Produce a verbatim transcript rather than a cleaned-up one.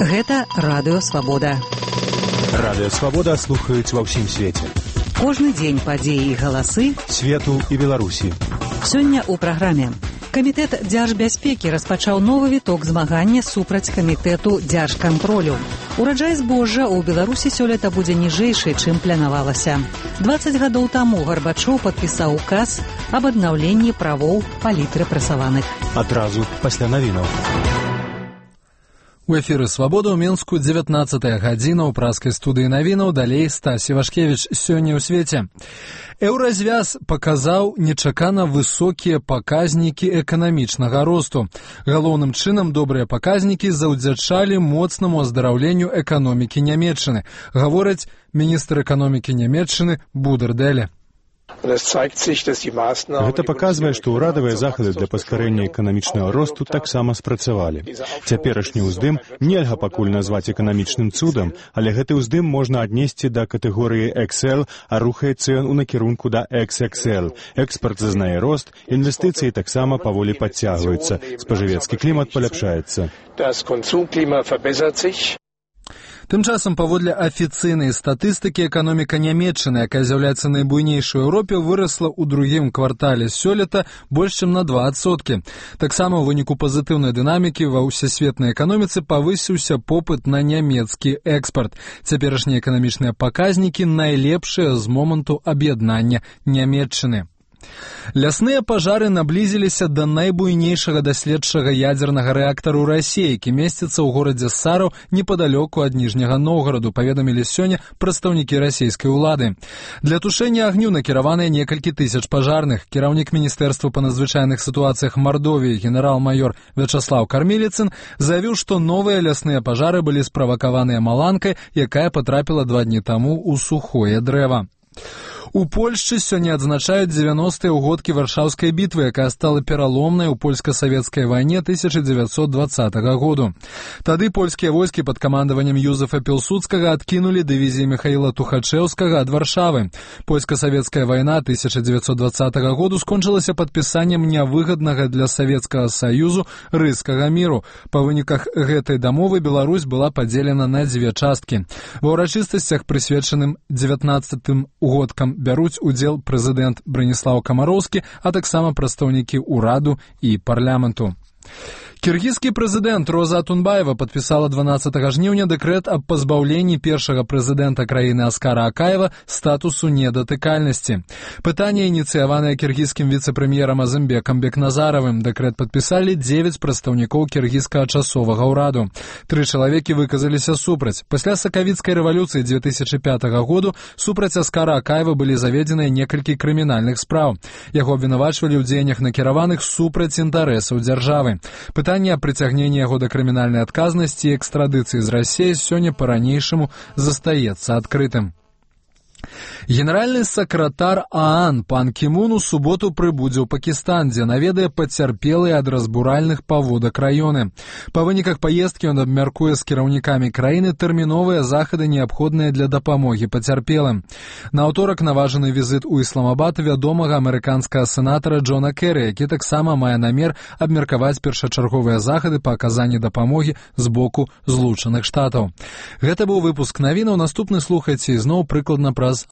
Гэта Радыё Свабода. Радыё Свабода слухаюць ва ўсім свеце. Кожны дзень падзеі і галасы свету і Беларусі. Сёння ў праграме. Камітэт дзяржбяспекі распачаў новы віток змагання супраць камітэту дзяржкантролю. Ураджай збожжа ў Беларусі сёлета будзе ніжэйшы, чым планавалася. дваццаць гадоў таму Гарбачоў падпісаў указ аб аднаўленні правоў палітрэпрэсаваных. Адразу пасля навінаў. У эфіры «Свабода» ў Мінску дзевятнаццатая гадзіна ў праскай студыі навінаў, далей Стась Івашкевіч. Сёння ў свеце. Еўразвяз паказаў нечакана высокія паказнікі эканамічнага росту. Галоўным чынам добрыя паказнікі заўдзячалі моцнаму аздараўленню эканомікі Нямецчыны, гаворыць міністр эканомікі Нямецчыны Будерделе. Гэта паказвае, што ўрадавыя захады для паскарэння эканамічнага росту таксама спрацавалі. Цяперашні ўздым нельга пакуль назваць эканамічным цудам, але гэты ўздым можна аднесці да катэгорыі ікс эл, а рухаецца ён у накірунку да ікс ікс эл. Экспарт зазнае рост, інвестыцыі таксама паволі падцягваюцца, спажывецкі клімат паляпшаецца. Тым часам, паводле афіцыйнай статыстыкі, эканоміка Нямецчыны, якая з'яўляецца найбуйнейшай у Еўропе, вырасла ў другім квартале сёлета больш чым на два адсоткі. Таксама ў выніку пазітыўнай дынамікі ва ўсесветнай эканоміцы павысіўся попыт на нямецкі экспарт. Цяперашнія эканамічныя паказнікі найлепшыя з моманту аб'яднання Нямецчыны. Лясныя пажары наблізіліся да найбуйнейшага даследчага ядзернага рэактару Расіі, які месціцца ў горадзе Сараў непадалёку ад Ніжняга Новгараду, паведамілі сёння прадстаўнікі расійскай улады. Для тушэння агню накіраваныя некалькі тысяч пажарных. Кіраўнік міністэрства па надзвычайных сітуацыях Мардовіі генерал-майор Вячаслаў Кармеліцын заявіў, што новыя лясныя пажары былі справакаваныя маланкай, якая патрапіла два дні таму ў сухое дрэва. У Польшчы сёння адзначаюць дзевяностыя ўгодкі Варшаўскай бітвы, якая стала пераломнай у польска-савецкай вайне тысяча дзевяцьсот дваццатага году. Тады польскія войскі пад камандаваннем Юзефа Пілсудскага адкінулі дывізіі Міхаіла Тухачэўскага ад Варшавы. Польска-савецкая вайна тысяча дзевяцьсот дваццатага году скончылася падпісаннем нявыгаднага для Савецкага Саюзу Рыйскага міру. Па выніках гэтай дамовы Беларусь была падзелена на дзве часткі. Ва ўрачыстасцях, прысвечаным дзевятнаццатым угодкам, бяруць удзел прэзідэнт Браніслаў Камароўскі, а таксама прадстаўнікі ўраду і парламенту. Кіргізскі прэзідэнт Роза Атунбаева падпісала дванаццатага жніўня дэкрэт аб пазбаўленні першага прэзідэнта краіны Аскара Акаева статусу недатыкальнасці. Пытанне ініцыяванае кіргізскім віцэ-прэм'ерам Азымбекам Бекназаравым. Дэкрэт падпісалі дзевяць прадстаўнікоў кіргізскага часовага ўраду. Тры чалавекі выказаліся супраць. Пасля сакавіцкай рэвалюцыі дзве тысячы пятага году супраць Аскара Акаева былі заведзеныя некалькі крымінальных спраў. Яго абвінавачвалі ў дзеяннях накіраваных супраць інтарэсаў дзяржавы. Пытанне аб прыцягненні яго да крымінальнай адказнасці і экстрадыцыі з Расіі сёння па-ранейшаму застаецца адкрытым. Генеральны сакратар ААН пан Кімун у суботу прыбудзе ў Пакістан, дзе наведае пацярпелыя ад разбуральных паводак раёны. Па выніках паездкі ён абмяркуе з кіраўнікамі краіны тэрміновыя захады, неабходныя для дапамогі пацярпелым. На аўторак наважаны візіт у Ісламабад вядомага амерыканскага сенатара Джона Керрі, які таксама мае намер абмеркаваць першачарговыя захады па аказанні дапамогі з боку Злучаных Штатаў. Гэта быў выпуск навінаў. Наступны слухайце ізноў прыкладна праз